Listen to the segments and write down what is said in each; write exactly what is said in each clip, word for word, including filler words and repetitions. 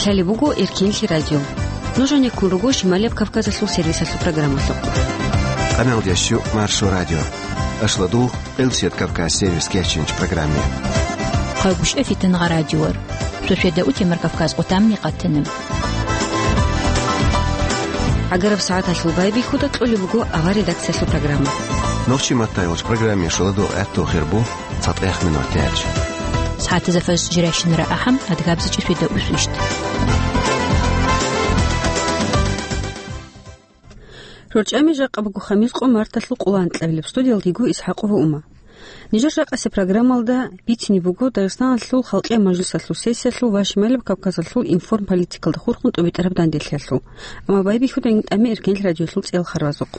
Лъалеб буго Эркенлъи радио. Нуж гьанеккун руго Шималияб Кавказалъул сервисалъул программалъухъ. Къамалдиясчу Маршо радио. Ашладул, Къилсият Кавказ сервис кечинч программе. Хъагушев Фитангъа радиор. Сосведа утемар Кавказ къутамни къатанаб. ГӀагараб сагӀаталъул байбихьуда кьолеб буго авар редакциялъул программа. Нохчи маттайолч программе шуладугъ гӀатту хирбу цатӀех минут дяч. СагӀатазда фаз жирайщинара ахӀам, адгабзичӀи сосведа усвищт. РорчӀами жакъа буго хамис къо марталъул къоло анкьабилеб, студиялдего Исхакъова Ума. Нижер жакъасе программалда бицине буго Дагъистаналъул халкъиял мажлисалъул сессиялъул ва Шималаб Кавказалъул информполитикалда хурхун тӀубитӀараб данделъиялъул. Амма байбихьуда тӀами Эркенлъи радиолъул цӀел харвазухъ.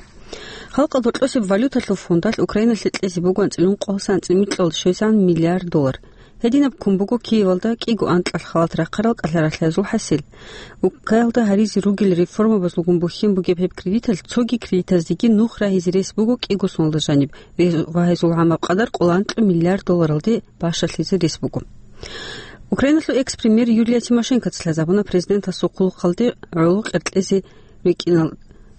Халкъалда кьосеб валюталъул фондалъ Украиналъе кьезе буго анцӀила ункъоялдаса анцӀила микьалде щвезегӀан миллиард доллар. Гьединаб ккун буго Киевалда кӀиго анкьалъ халат рахъарал кӀалъаралъазул хӀасил. Уккаялда гьаризе ругел реформабазулгун бухьен бугеб гьеб кредиталъ цоги кредитаздеги нух рагьизе рес буго кӀиго соналда жаниб ва гьезул гӀамаб къадар къоло анкьа миллиард долларалде бащалъизе рес буго. Украиналъул экс-премьер Юлия Тимошенкоца лъазабуна президентасул хъулухъалде гӀоло къеркьезе рекӀинал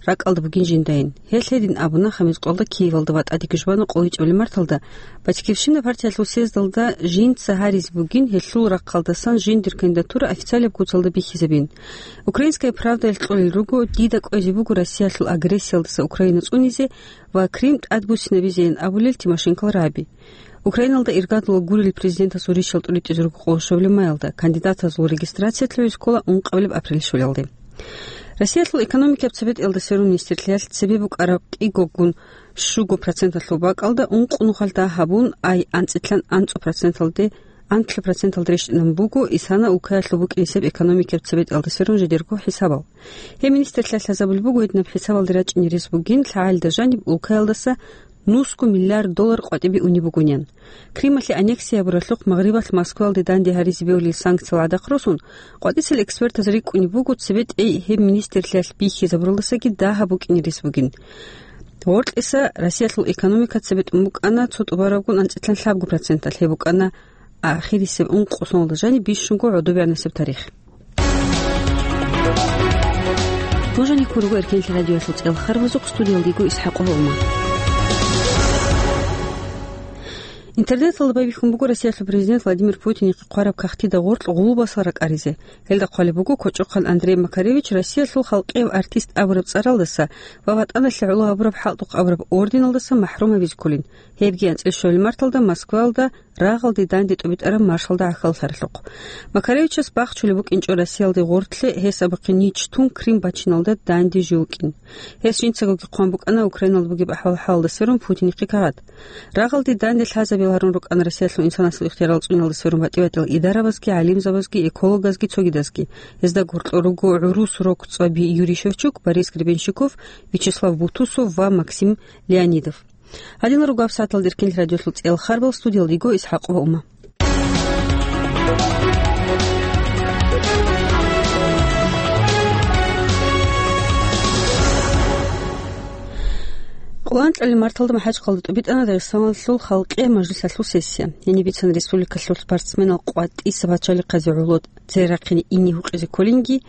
ракӀалда бугин жиндайин. Гьелъ гьедин абуна, хамис къолда Киевалда ва тӀадеги жубана къоло ичӀабилеб марталда Батькивщина партиялъул съездалда жинца гьаризе бугин гьелъул рахъалдасан жиндир кандидатура официалияб куцалда бихьизабин. «Украинская правдаялъ» кьолел руго, дида кӀвезе буго Россиялъул агрессиялдаса Украина цӀунизе ва Крим тӀадбуссинабизейин абулел Тимошенкол рагӀаби. Украиналда иргадула гурел президентасул риччал тӀуритӀизе руго къоло щуабилеб маялда, кандидатазул регистрациялъе гьез ккола ункъабилеб апрель щвелалде. Россиялъул экономикияб цебетӀиялда сверун министрлъиялъ цебе букӀараб кӀигогун щуго проценталъул бакӀалда ункъо нухалъ дагь гьабун, ай анцӀилъан анцӀго проценталде, анлъго проценталде рещтӀинабун буго исана улкаялъул букӀинесеб экономикияб цебетӀиялда сверун жидерго хӀисабал. Гьеб министрлъиялъ лъазабулеб буго, гьединаб хӀисабалде рачӀине рес бугин лъагӀалида жаниб улкаялдаса нусго миллиард доллар къватӀибе унеб бугонян. Крималъе аннексия гьабуралъухъ Магърибалъ Москваялде данде гьаризе бегьулел санкциял гӀадахъ росун, къватӀисел экспертаз рикӀкӀунеб буго цебетӀей гьеб министрлъиялъ бихьизабуралдасаги дагь гьаб букӀине рес бугин. Гъоркьиса Россиялъул экономика цебетӀун букӀана цо тӀубарабгун анцӀилъан лъабго проценталъ, гьеб букӀана ахирисеб ункъо соналда жаниб бищунго гӀодобегӀанасеб тарих. Нуж гьанеккун руго Эркенлъи радиоялъул цӀел харвазухъ, студиялдего Исхакъова Ума. Интернеталда байбихьун буго Россиялъул президент Владимир Путинихъе хъвараб кагътида гъоркь гъулбасал ракӀаризе. Гьелда хъвалеб буго кочӀохъан Андрей Макаревич Россиялъул халкъияв артист абураб цӀаралдаса ва ВатӀаналъе гӀоло гьабураб хӀалтӀухъ абураб орденалдаса махӀрум гьабизе кколин. Гьебги анцӀила щуабилеб марталда Москваялда рагъалде данде тӀубитӀараб маршалда гӀахьаллъаралъухъ. Макаревичас бахчулеб букӀинчӀо Россиялде гъортлъе гьес абухъе нич тун Крим бачиналда данде жив вукӀин. Гьес жинцагоги хъван букӀана Украиналда бугеб ахӀвал-хӀалалда сверун Путинихъе кагъат. Рагъалде данде лъазабил гьарун рукӀана Россиялъул инсанасул ихтиярал цӀуниялда сверун батӀи-батӀиял идарабазги, гӀалимзабазги, экологазги, цогидазги. Гьезда гъоркьор руго гӀурус рокцӀаби Юрий Шевчук, Борис Гребенщиков, Вячеслав Бутусов ва Максим Леонидов. Гьадинал руго гьабсагӀаталда Эркенлъи радиоялъул цӀел харбал, студиялдего Исхакъова Ума. Къоло анкьабилеб марталда МахӀачхъалда тӀубитӀана Дагъистаналъул халкъиял мажлисалъул сессия. Гьениб бицана республикалъул спортсменал къватӀиса пачалихъазе гӀоло цере рахъине ине гьукъизе кколинги,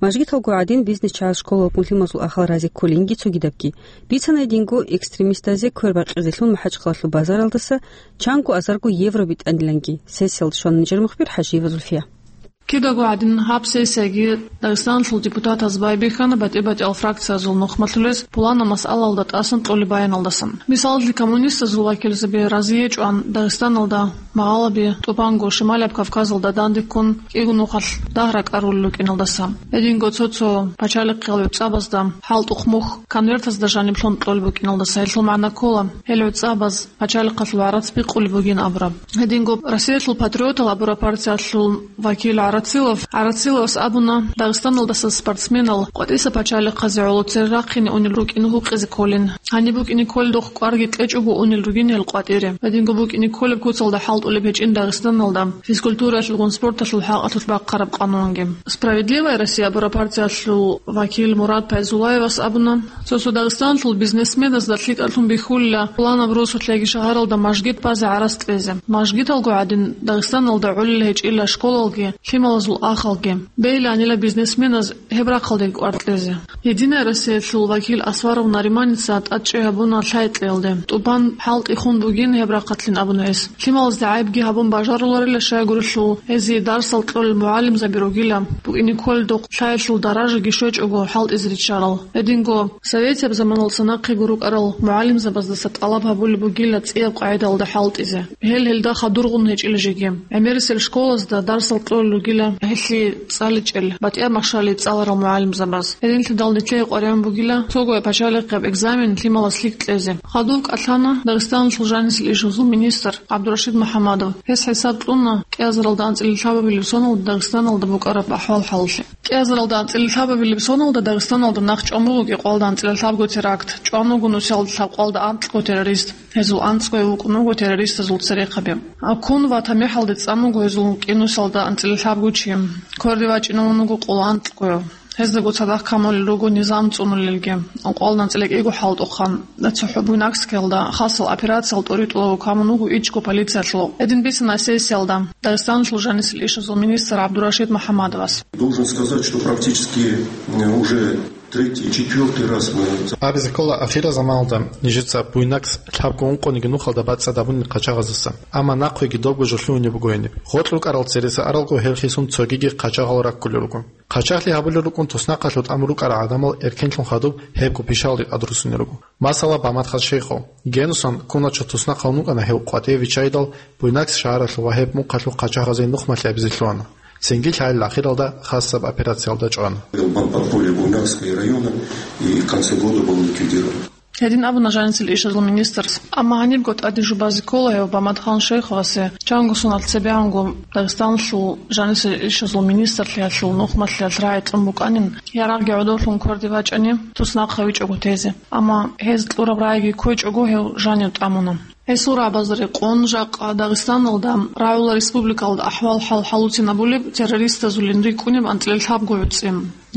мажгиталго гӀадин бизнес-чагӀаз школалгун лъималазул ахал разе кколинги цогидабги. Бицана гьединго экстремистазе квербакъизелъун МахӀачхъалалъул базаралдаса чанго азарго евро битӀаниланги. Сессиялда щвана нижер мухбир ХӀажиева Зульфия. Кидаго гӀадин гьаб сессияги Дагъистаналъул депутатаз байбихьана батӀи-батӀиял фракциязул нухмалъулез пуланаб масъалаялда тӀасан кьолеб баяналдасан. Мисалалъе, коммунистазул вакилзаби разие гьечӀоан Дагъистаналда магъалаби тӀубанго Шималияб Кавказалда данде ккун кӀиго нухалъ дагь ракӀарулел рукӀиналдаса. Гьединго цо-цо пачалихъал вебцӀабазда хӀалтӀухъ мухь конвертазда жаниб лъун кьолеб букӀиналдаса гьелъул магӀна ккола, гьел вебцӀабаз пачалихъалъул гӀарац бикъулеб бугин абураб. Гьединго Россиялъул патриотал абураб партиялъул вакил ГӀарацилов, ГӀарациловас абуна, Дагъистаналдаса спортсменал къватӀиса пачалихъазе гӀоло цере рахъине унел рукӀине гьукъизе кколин. Гьаниб букӀине кколедухъ кӀварги кьечӀого унел ругин гьел къватӀире. Гьединго букӀине кколеб куцалда хӀалтӀулеб гьечӀин Дагъистаналда физкультураялъулгун спорталъул хӀакъалъулъ бахъараб къанунги. «Справедливая Россия» абураб партиялъул вакил Мурад Пайзуллаевас абуна, цо-цо Дагъистаналъул бизнесменазда лъикӀалъун бихьулила пуланаб росулъ яги шагьаралда мажгит базе гӀарац кьезе. Мажгиталго гӀадин Дагъистаналда гӀолеб гьечӀила школалги, лъимал Азул ахалги. Бейиланила бизнесменаз гьеб рахъалде кӀвар кьезе. «Единая Россиялъул» вакил Асваров Нариманица тӀадчӀи гьабуна лъай кьеялде. ТӀубан хӀалтӀи хун бугин гьеб рахъалъин абуна гьес. Лъималазда гӀайибги гьабун бажаруларила, щайгурелъул гьезие дарсал кьолел мугӀалимзаби ругила, букӀине кколедухъ лъаялъул даражаги щвечӀого хӀалтӀизе риччарал. Гьединго советияб заманалдаса нахъего рукӀарал мугӀалимзабаздаса тӀалаб гьабулеб бугила цӀияб къагӀидаялда хӀалтӀизе. Гьел гьелда хадургъун гьечӀила жеги. ГӀемерисел школазда дарсал кьолел ругила гьелъие цӀаличӀел, батӀияб махщалие цӀаларал мугӀалимзабаз. Гьединлъидал нилъее къваригӀун бугила цогояб пачалихъияб экзамен лъималас лъикӀ кьезе. Хадуб кӀалъана Дагъистаналъул жанисел ишазул министр ГӀабдурашид МухӀамадов. Гьес хӀисаб кьуна кӀиазаралда анцӀила лъабабилеб соналда Дагъистаналда букӀараб ахӀвал-хӀалалъе. КӀиазаралда анцӀила лъабабилеб соналда Дагъистаналда нахъ чӀван буго кӀикъоялда анцӀила лъабго теракт, чӀван вуго нусиялда лъабкъоялда анкьго террорист. Гьезул анцӀгояв вукӀун вуго террористазул церехъаби. Ккун ва тамихӀалде цӀан вуго гьезул кӀинусалда анцӀила лъабго чи. Кверде вачӀинавун вуго къоло анкьгояв. Гьездаго цадахъ камулел руго низам цӀунулелги. Къоло анцӀила кӀиго хӀалтӀухъан, цохӀо Буйнакскиялда хасал операциял тӀоритӀулаго камун вуго ичӀго полициялъул. Гьедин бицана сессиялда Дагъистаналъул жанисел ишазул министр ГӀабдурашид МухӀамадовас. Должен сказать, что практически, э, уже третий, четвёртый раз мы... Абизе ккола, ахирал заманалда нижеца Буйнакс лъабго ункъониги нухалда бацӀцӀад гьабунин къачагъаздаса. Амма нахъеги добго жо лъугьунеб буго гьениб. Гъоркь рукӀарал цереса аралго гьел хисун цогиги къачагъал раккулел руго. Къачагълъи гьабулел рукӀун туснахъалъув тӀамун рукӀарал гӀадамал эркенлъун хадуб гьебго пишалде тӀадруссунел руго. Масала, Баматхан Шейхов. Генусан куначо туснахъалъун вукӀана гьев къватӀиве виччайдал, Буйнакс шагьаралъув ва гьеб мухъалъув къачагъазе нухмалъи гьабизе лъугьана. Цинги льалил ахиралда хасаб оперциялда чӀвана. Подполье Буйнакска района и в конце года был ликвидирован. Гьедин абуна жанисел ишазул министрас. Амма гьанибго тӀаде жубазе ккола гьев Баматхан Шейховасе, чанго соналъ цебегӀанго Дагъистаналъул жанисел ишазул министрлъиялъул нухмалъиялъ рагӀи кьун букӀанин, ярагъги гӀодовлъун кверде вачӀани, туснахъ гьавичӀого тезе. Амма гьез кьураб рагӀиги кквечӀого гьев жанив тӀамуна. Гьесул рагӀабазда рекъон, жакъа Дагъистаналда, рагӀула республикалда ахӀвал-хӀал хӀалуцинабулеб, террористазулин рикӀкӀунеб анцӀила лъабго гӀуцӀи.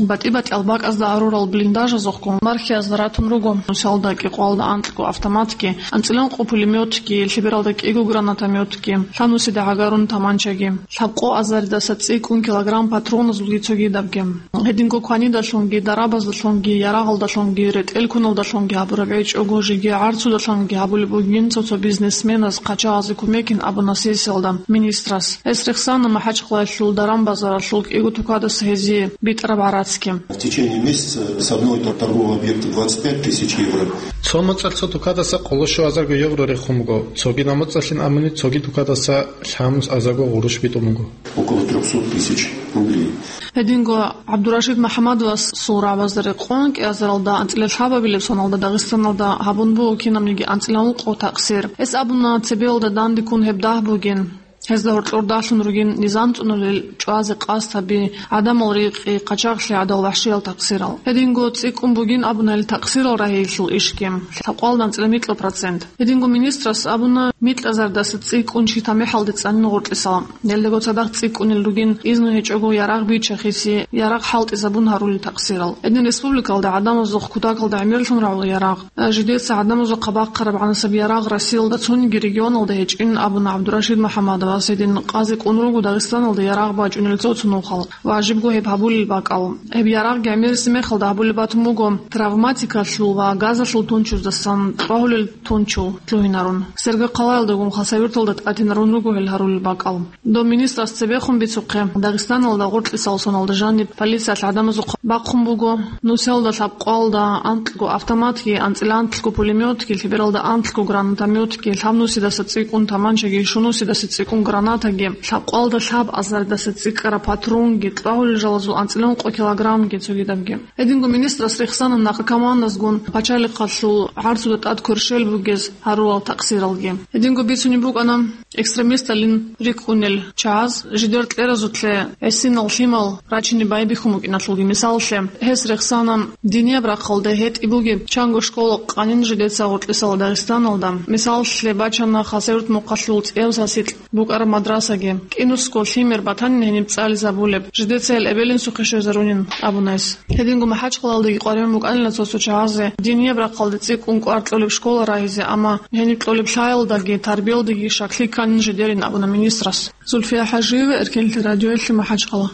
БатӀи-батӀиял бакӀазда гьарурал блиндажазухъ бархьиязда ратун руго нусалда кӀикъоялда анкьго автоматги, анцӀила ункъо пулемётги, лъебералда кӀиго гранатометги, лъабнусида гӀагарун таманчаги. Лъабкъо азаридаса цӀикӀкӀун килограмм патроназулги цогидабги. Гьединго кванидалъунги, дарабаздалъунги, ярагъалдалъунги, ретӀел-куналдалъунги гьабураб гьечӀого, жеги гӀарцудалъунги гьабулеб бугин цо-цо бизнесменаз къачагъазе кумекин абуна сессиялда министрас. Гьес рехсана МахӀачхъалаялъул даран-базаралъул кӀиго тукадаса гьезие битӀараб гӀарацги. В течение месяца с одного тор-, торгового объекта двадцать пять тысяч евро. Цо моцӀалъ цо тукадаса къоло щуазарго евро рехун буго, цоги моцӀалъин абуни цоги тукадаса лъабнус азарго гъурущ битӀун буго. Около трёхсот тысяч рублей. Гьединго ГӀабдурашид МухӀамадовасул рагӀабазда рекъон кӀиазаралда анцӀила лъабабилеб соналда Дагъистаналда гьабун буго кинабниги анцӀила ункъо такъсир. Гьес абуна, цебеялда дандеккун гьеб дагь бугин. Гьезда гьоркьор дагьлъун ругин низам цӀунулел, чӀвазе къасд гьаби, гӀадамал рикъи, къачагълъи гӀадал вахӀшиял такъсирал. Гьединго цӀикӀкӀун бугин абуна гьел такъсирал рагьиялъул ишги, лъабкъоялда анцӀила микьго процент. Гьединго министрас абуна, микьазардаса цӀикӀкӀун чи тамихӀалде цӀанин гъоркьисал. Гьелдаго цадахъ цӀикӀкӀунел ругин изну гьечӀого ярагъ бичахъеси, ярагъ хӀалтӀизабун гьарулел такъсирал. Гьедин республикалда гӀадамазухъ кутакалда гӀемерлъун рагӀула ярагъ. Жидеца гӀадамазухъа бахъараб гӀанасеб ярагъ Россиялда цониги регионалда гьечӀин абуна ГӀабдурашид МухӀамадовас. Гьедин къазе кӀун руго Дагъистаналда ярагъ бачӀунел цо-цо нухал. Важибго гьеб гьабулел бакӀал. Гьеб ярагъги гӀемериси мехалда гьабулеб батун буго, травматикалъул ва газалъул тунчуздасан тӀвагьулел тунчул лъугьинарун. Сергокъалаялдагун Хасавюрталда тӀадинарун руго гьел гьарулел бакӀал. Дов министрас цебехун бицухъе, Дагъистаналда гъоркьисал соналда жаниб полициялъ гӀадамазухъа бахъун буго, нусиялда лъабкъоялда анкьго автоматги, анцӀила анлъго пулемётги, лъебералда анлъго гранатометги, лъабнусидаса цӀикӀкӀун таманчаги, щунусидаса цӀикӀкӀун гранатаги, лъабкъоялда лъаб азаридаса цӀикӀкӀараб патронги, тӀвагьулел жалазул анцӀила ункъо килограммги цогидабги. Гьединго министрас рехсана наркоманазгун пачалихъалъул гӀарцуда тӀад кверщел бугез гьарулел такъсиралги. Гьединго бицунеб букӀана экстремисталин рикӀкӀунел чагӀаз жидер кьеразулъе гӀисинал лъимал рачине байбихьун букӀиналъулги. Мисаллъе, гьес рехсана динияб рахъалда гьетӀи бугеб чанго школа къанин жидеца гъоркьисал Дагъистаналда. Мисаллъе бачана Хасавюрт мухъалъул цӀияб сасикь букӀа цӀар мадрасаги. КӀинусго лъимер батанин гьениб цӀализабулеб, жидеца гьел эбел-инсухъе щвезарунин абуна гьес. Гьединго МахӀачхъалалдаги къваригӀун букӀанила цо-цо чагӀазе, динияб рахъалде цӀикӀкӀун кӀвар кьолеб школа рагьизе, амма гьениб кьолеб лъаялдаги тарбиялдаги щаклъи кканин жидерин абуна министрас. Зульфия ХӀажиева, Эркенлъи радиоялъе, МахӀачхъала.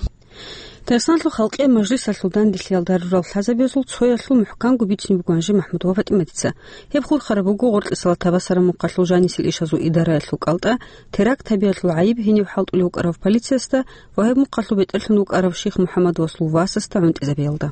Дагъистаналъул халкъиял мажлисалъул данделъиялда гьарурал лъазабазул цоялъул мухӀканго бицунеб буго гьанже МахӀмуд ва ФатӀиматица. Гьеб хурхараб буго Гъоркьисала Табасаран мухъалъул жанисел ишазул идараялъул кӀалтӀа, теракт гьабиялъул гӀайиб гьенив хӀалтӀулев вукӀарав полициясда ва гьеб мухъалъул бетӀерлъун вукӀарав Ших МухӀаммад ва Лувасасда гӀунтӀизабиялда.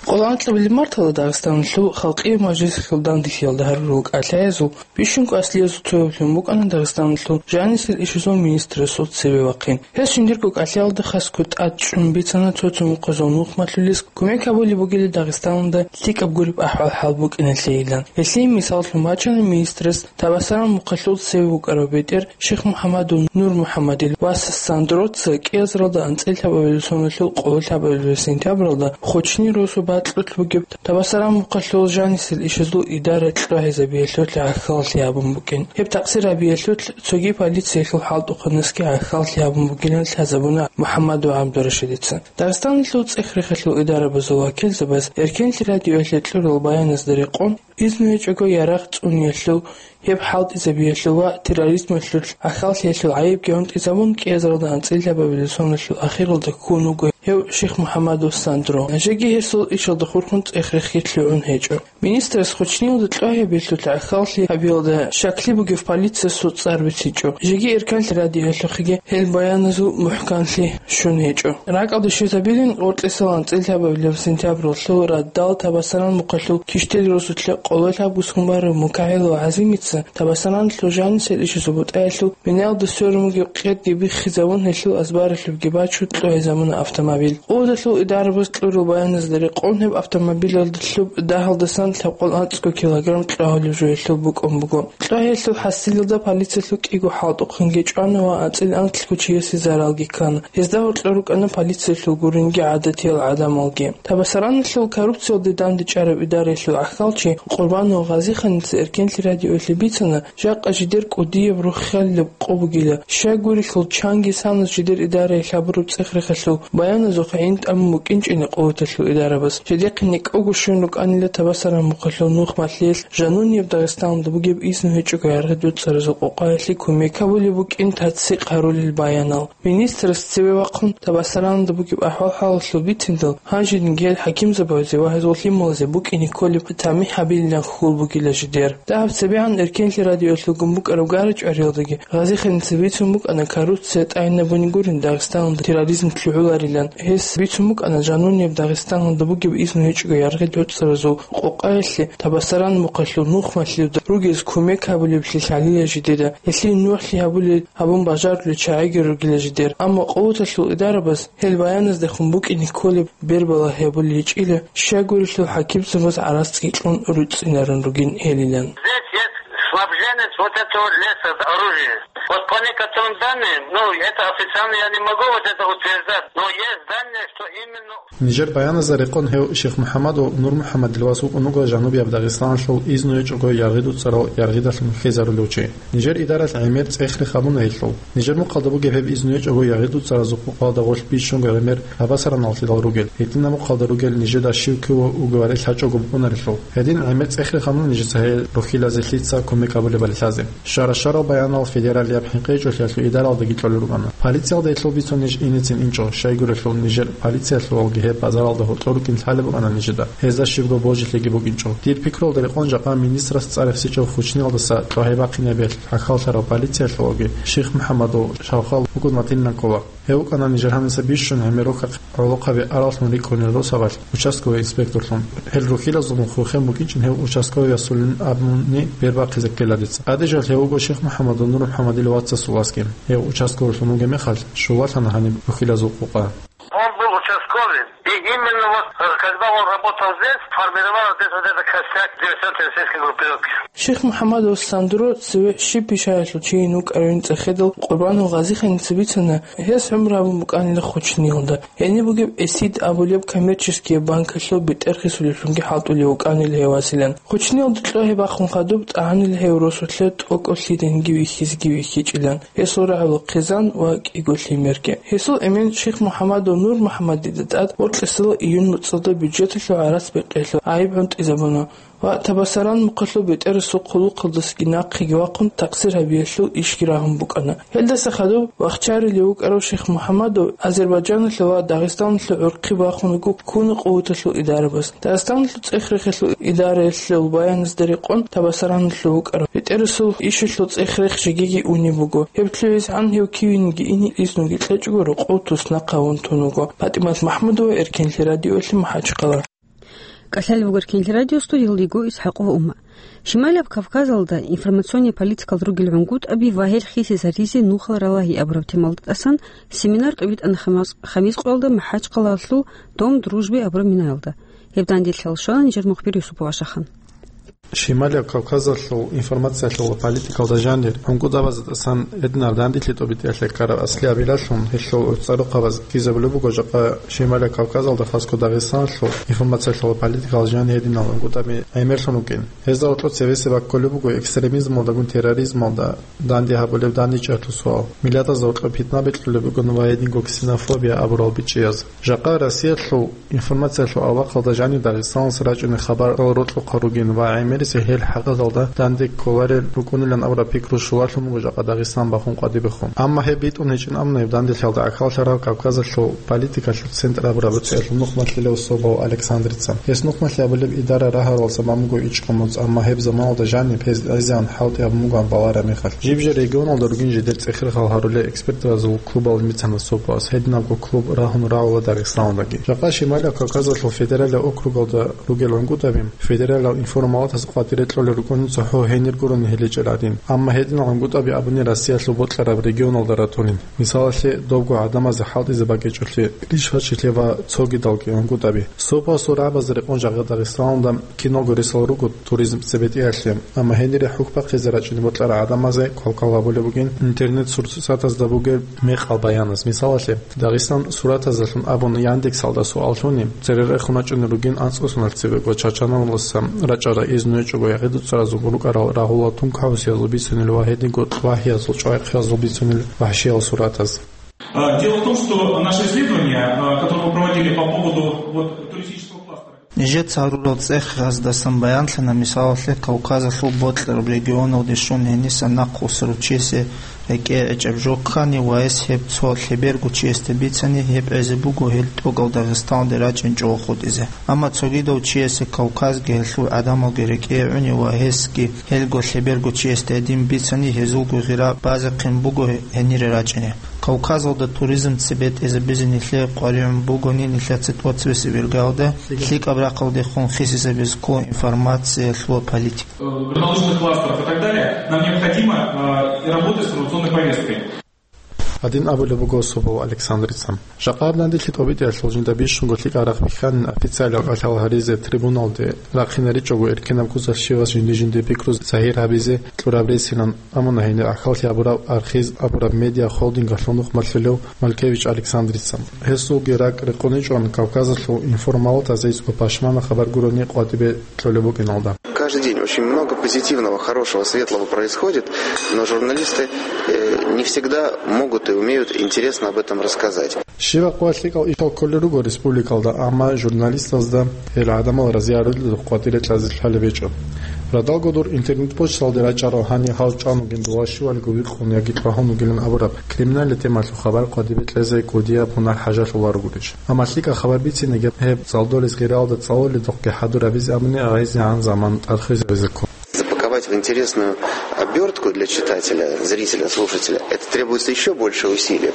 Къоло анкьабилеб мартала Дагъистаналъул халкъиял мажлисалъул данделъиялда гьарурал кӀалъаязул бищун кӀвар аслиязул цояблъун букӀана Дагъистаналъул жанисел ишазул министрасул цеве вахъин. Гьес жиндирго кӀалъаялда хасго тӀад чӀун бицана цо-цо мухъазул нухмалъулес кумек гьабулеб бугила Дагъистаналда лъикӀаб гуреб ахӀвал-хӀал букӀиналъейилан. Гьелъие мисаллъун бачана министрас Табасаран мухъалъул цеве вукӀарав бетӀер Ших МухӀаммадул Нур МухӀаммадил вас Сандроца кӀиазаралда анцӀила лъабабилеб соналъул къоло лъабабилеб сентябралда Хучни росу бакьулъ бугеб Табасаран мухъалъул жанисел ишазул идара кьогьезабиялъулъ гӀахьаллъи гьабун букӀин. Гьеб такъсир гьабиялъулъ цоги полициялъул хӀалтӀухъанасги гӀахьаллъи гьабун бугилан лъазабуна МухӀаммад ва ГӀабдурашидица. Дагъистаналъул цӀех-рехалъул идарабазул вакилзабаз Эркенлъи радиоялъе кьурал баяназда рекъон, изну гьечӀого ярагъ цӀуниялъул, гьеб хӀалтӀизабиялъул ва терроризмалъулъ гӀахьаллъиялъул гӀайибги гӀунтӀизабун, кӀиазаралда анцӀила лъабабилеб соналъул ахиралда ккун вуго гьев Ших МухӀаммадул Сандро. Гьанжеги гьесул ишалда хурхун цӀех-рехги лъугӀун гьечӀо. Министрас Хучниялда кьогьабиялъулъ гӀахьаллъи гьабиялда щаклъи бугев полициясул цӀар бицичӀо. Жеги Эркенлъи радиоялъухъеги гьел баяназул мухӀканлъи щун гьечӀо. РакӀалде щвезабилин Гъоркьисал анцӀила лъабабилеб сентябралъул радал Табасаран мухъалъул Киштел росулъа къоло лъабго сун барав Мукагьилов ГӀазимица Табасараналъул жанисел ишазул бутӀаялъул биналда сверун бугеб къерги биххизабун, гьелъул азбаралъубги бачун кьогьезабуна автомобиль. Къуваталъул идарабаз кьурал баяназда рекъон, гьеб автомобилалда лъуб дагьалдасан лъабкъоялда анцӀго килограмм кьогьалеб жо гьелъул букӀун буго. Кьогьалъул хӀасилалда полициялъул кӀиго хӀалтӀухъанги чӀвана ва анцӀила анкьго чиясе заралги ккана. Гьезда гьоркьор рукӀана полициялъул гуринги гӀадатиял гӀадамалги. Табасараналъул коррупциялде дандечӀараб идараялъул гӀахьалчи Къурбанов Гъазиханица Эркенлъи радиоялъе бицана, жакъа жидер кӀудияб руххалилеб къо бугила, щайгурелъул чанги санас жидер идараялъ гьабураб цӀех-рехалъул баяназухъ гӀин тӀамун букӀинчӀин къуваталъул идарабаз. Жидехъе некӀого щун рукӀанила Табасаран мухъалъул нухмалъиялъ жанубияб Дагъистаналда бугеб изну гьечӀого яргъи дуцӀаразул къокъаялъе кумек гьабулеб букӀин таццикъ гьарулел баянал. Министрас цеве вахъун Табасараналда бугеб ахӀвал-хӀалалъул бициндал, гьанжеги гьел хӀакимзабазе ва гьезул лъималазе букӀине кколеб тамихӀ гьабилилан хьул бугила жидер. Дагьаб цебегӀан Эркенлъи радиоялъулгун букӀараб гара-чӀвариялдаги Гъазиханица бицун букӀана коррупция тӀагӀинабуни гурин Дагъистаналда терроризм лъугӀуларилан. Гьес бицун букӀана жанубияб Дагъистаналда бугеб изну гьечӀого яргъи дуцӀаразул къокъаялъе Табасаран мухъалъул нухмалъиялда ругез кумек гьабулеблъи лъалила жидеда, гьелъие нугӀлъи гьабулел гьабун бажарулел чагӀиги ругила жидер. Амма къуваталъул идарабаз гьел баяназдехун букӀине кколеб бербалагь гьабулел гьечӀила, щайгурелъул хӀакимзабаз гӀарацги кьун руцӀцӀинарун ругин гьелилан. Здесь есть снабженец вот этого леса с оружием. Вот по некоторым данным, ну, это официально я не могу вот это утверждать, но есть данные, что именно Нижер баяназда рекъон гьев Шихмухьаммад ва Нурмухьаммадил вас вукӀун вуго жанубияб Дагъистаналъул изну гьечӀого яргъи дуцӀарал яргъидалъун хьезарулев чи. Нижер идаралъ гӀемер цӀех-рех гьабуна гьелъул. Нижер мухъалда бугеб гьеб изну гьечӀого яргъи дуцӀаразул къокъалда гъорлъ бищунго гӀемер Табасараналъидал ругел, гьединаб мухъалда ругел нижеда щив кив вугевали лъачӀого букӀунарелъул. Гьедин гӀемер цӀех-рех гьабуна нижеца гьел рухьилазе лъица кумек гьабулебали лъазе. Щара-щарал баянал федералияб хӀинкъичӀолъиялъул идаралдаги кьолел рукӀана. Полициялда гьелъул бицун ниж инецин инчӀо, щайгурелъул нижер полициялъувалги гьеб базаралда гьоркьор рукӀин лъалеб букӀана нижеда. Гьезда щибго божилъиги букӀинчӀо. Дир пикруялда рекъон жакъа министрас цӀар рехсичӀев Хучниялдаса кьогьай бахъинабиялъ хӀахьаллъарав полициялъувалги Шихмухьаммадул шавхал букӀун ватилан ккола. Гьев вукӀана нижер гьаниса бищун гӀемер рукахъ гӀолохъаби араллъун рикӀкӀунел росабалъ участковый инспекторлъун. Гьел рухьилазулгун хурхен букӀинчӀин гьев участковыясулин абуни бер бахъизе ккела дица. ТӀадежалъ гьев вуго Шихмухьаммадул Нурмухьаммадил вацасул васги. Гьев участковыйлъун вугеб мехалъ, щулалъана гьаниб рухьилазул къокъа. Он был участковый. И именно вот, э, когда он работал здесь, формировалась здесь вот эта костяк диверсионно-террористической группировки. Шейх МухӀаммадов Сандро цеве щиб бищаялъул чийин вукӀарин цӀехедал Къурбанов Гъазиханица бицана, гьес гӀумру гьабун букӀанила Хучниялда. Гьениб бугеб ЭСИД абулеб коммерческие банкалъул бетӀер хисулеблъунги хӀалтӀулев вукӀанила гьев василан. Хучниялда кьогьеб бахун хадуб тӀагӀанила гьев росулъе тӀокӀав лъиданиги вихьизеги вихьичӀилан. Гьесул рагӀула хъизан ва кӀиго лъимерги. Гьесул эмен Шейх МухӀаммадов Нур МухӀаммадида тӀад бокьарасда июнь муцӀалда бюджеталъул гӀарац бекьиялъул гӀайиб гӀунтӀизабуна ва Табасаран мухъалъул бетӀерасул хъулухъалдасаги нахъеги вахъун такъсир гьабиялъул ишги рагьун букӀана. Гьелдаса хадуб вахчарулев вукӀарав Шейх МухӀаммадов Азербайджаналъул ва Дагъистаналъул гӀурхъи бахун вуго ккуна къуваталъул идарабаз. Дагъистаналъул цӀех-рехиялъул идараялъул баяназда рекъон Табасараналъув вукӀарав бетӀерасул ишалъул цӀех-рех жегиги унеб буго. Гьеб лъугӀизегӀан гьев кивениги ине изнуги кьечӀого рокъов туснахъ гьавун тун вуго. ПатӀимат МахӀмудова, Эркенлъи радиоялъе МахӀачхъала. КӀалъалев вуго Эркенлъи радио, студиялда йиго ИсхӀакъова Умма. Шималияб Кавказалда информационный политикалда ругел гӀунгутӀаби ва гьел хисизаризе нухал ралагьи абураб темалда тӀасан семинар тӀубитӀана хамас-, хамис къоялда МахӀачхъалаялъул Дом дружбы абураб минаялда. Гьеб данделъи лъалщвана нижер мухбир Юсупов Ашахан. Шималияб Кавказалъул информациялъул политикалда жанир гӀунгутӀабазда тӀасан гьединал данделъи тӀубитӀиялъе ккараб аслияб гӀиллалъун гьелъул гӀуцӀарухъабаз ккизабулеб буго жакъа Шималияб Кавказалда, хасго Дагъистаналъул информациялъул политикалда жанир гьединал гӀунгутӀаби гӀемерлъун вукӀин. Гьезда гьоркьоб цевесеб баккулеб буго экстремизмалдагун терроризмалда данде гьабулеб дандечӀеялъул суал, миллатазда гьоркьоб питна бикьулеб бугин ва гьединго ксенофобия абурал бичӀчӀияз. Жакъа Россиялъул информациялъул авлахъалда жанир Дагъистаналъ рачӀунел хабарал рокьухъал ругин ва гӀемерисел гьел хӀакъалда данде кколарел рукӀунилан абураб пикру щулалъун буго жакъа Дагъистан бахун къватӀибехун. Амма гьеб битӀун гьечӀин абуна гьеб данделъиялда гӀахьаллъараб Кавказалъул политикалъул центр абураб бетӀерлъун нухмалъулев Собов Александрица. Гьес нухмалъи абулеб идара рагьаралдаса бан буго ичӀго моцӀ, амма гьеб заманалда жаниб гьез азиян хӀалтӀи гьабун бугоан балараб мехалъ. Жиб-жер регионалда ругин жидер цӀех-рехал гьарулел экспертазул клубалин бицана Собовас, гьединабго клуб рагьун рагӀула Дагъистаналдаги. Жакъа Шималияб Кавказалъул федералияб округалда ругел гӀунгутӀаби федералияб информалатаз къватӀире кьолел рукӀунин цохӀо гьенир гурони гьеличӀел гӀадин. Амма гьединал гӀунгутӀаби абуни Россиялъул бокьараб регионалда ратулин. Мисалалъе, добго гӀадамазе хӀалтӀизе бакӀичӀолъи, Кришвачилъе ва цогидалги гӀунгутӀаби. Собовасул рагӀабазда рекъон жакъа Дагъистаналда киналго ресал руго туризм цебетӀиялъе, амма гьенире хӀухь бахъизе рачӀине бокьарал гӀадамазе квалквал гьабулеб бугин интернет-сурсатазда бугеб мекъал баяназ. Мисалалъе, Дагъистан суратазалъун абун Яндексалда суал лъуни, цере рехун рачӀунел ругин анцӀго соналъ цебего Чачаналдаса рачӀарал изну гьечӀого ягъи-дуцаразул рукӀарал рагьулал тункагӀусиязул бицунел ва гьединго лъвагьиязул чӀвайхъиязул бицунел вагьшиял суратаз. А, дело в том, что наше исследование, а, которое мы проводили по поводу вот туристического кластера. Нижеца гьарурал цӀехаздасан баянлъана, мисалалъе, Кавказалъул бокьараб регионалде щун гьениса нахъвуссарав чиясе рекӀее гӀечӀеб жо ккани ва гьес гьеб цо лъеберго чиясда бицани, гьеб гӀезе буго гьел тӀокӀал Дагъистаналде рачӀинчӀого хутӀизе. Амма цогидав чиясе Кавказги гьелъул гӀадамалги рекӀее гӀуни ва гьесги гьелго лъеберго чиясда гьедин бицани, гьезулго гъира базехъин буго гьенире рачӀине. Кавказалда туризм цебетӀезабизе нилъее къваригӀун бугони, нилъеца тӀоцебесеб иргаялда лъикӀаб рахъалдехун хисизабизе ккола информациялъул политика. Э, горнолыжных кластеров и так далее, нам необходимо, э, и работать с информационной повесткой. Гьадин абулеб буго Собов Александрица. Жакъа гьаб данделъи тӀубитӀиялъул жинда бищунго лъикӀаб рахъ бихьанин официалияб кӀалъал гьаризе трибуналде рахъинаричӀого эркинаб куцалъ щивас жинди-жинди пикру загьир гьабизе кьураб ресилан, амма гьенир гӀахьаллъи гьабураб Архиз абураб медиа-холдингалъул нухмалъулев Малькевич Александрица. Гьесулги ракӀ рекъон гьечӀоан Кавказалъул информалатазе ицӀго пашмана хабар гурони къватӀибе кьолеб букӀиналда. Каждый день очень много позитивного, хорошего, светлого происходит, но журналисты, э, не всегда могут и умеют интересно об этом рассказать. Щибаб къоялъ лъикӀал ишал кколел руго республикалда, амма журналистазда гьел гӀадамал разиарулел къватӀире кьазе лъалеб гьечӀо. Радалго дур интернет-почталде рачӀарал гьанир гьал чӀван вугин, дола щивалго вихъун яги тӀвагьун вугилан абураб криминалияб темалъул хабар къватӀибе кьезе кӀудияб гьунар хӀажалъуларогурищ? Амма лъикӀаб хабар бициниги гьеб цӀалдолез гъиралда цӀалуледухъги хӀадур гьабизе абуни гӀайзегӀан заман тӀад хвезабизе ккун. Запаковать в интересную обертку для читателя, зрителя, слушателя, это требуется ещё больше усилий.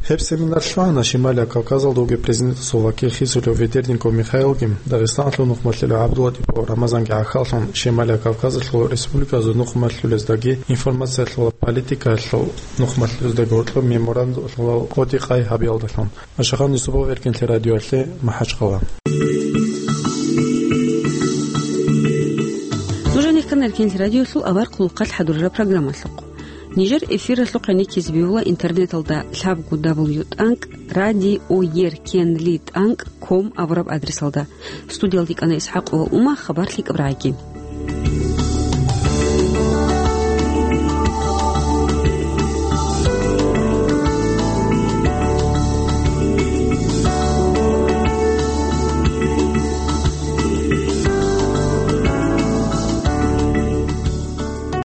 Гьеб семинар лъугьана Шималия Кавказалда вугев президентасул вакил хисулев Ведерников Михаилги, Дагъистаналъул нухмалъулев ГӀабдуллатӀипов Рамазанги гӀахьаллъун, Шималия Кавказалъул республиказул нухмалъулездаги информациялъул политикаялъул нухмалъулездаги гьоркьоб меморандумалъул кодекъай гьабиялдалъун. Ашахан Юсупов, Эркенлъи радиоялъе, МахӀачхъала. Нуж гьанир ккана Эркенлъи радиоялъул авар хъулухъалъ хӀадурараб программалъухъ. Нижер эфиралъухъ гӀенеккизе бегьула интернеталда лъабго дабл ю тӀанкӀ радиоеркенлъи тӀанкӀ ком абураб адресалда. Студиялде кӀана ИсхӀакъова Ума, хабар лъикӀаб рагӀиги.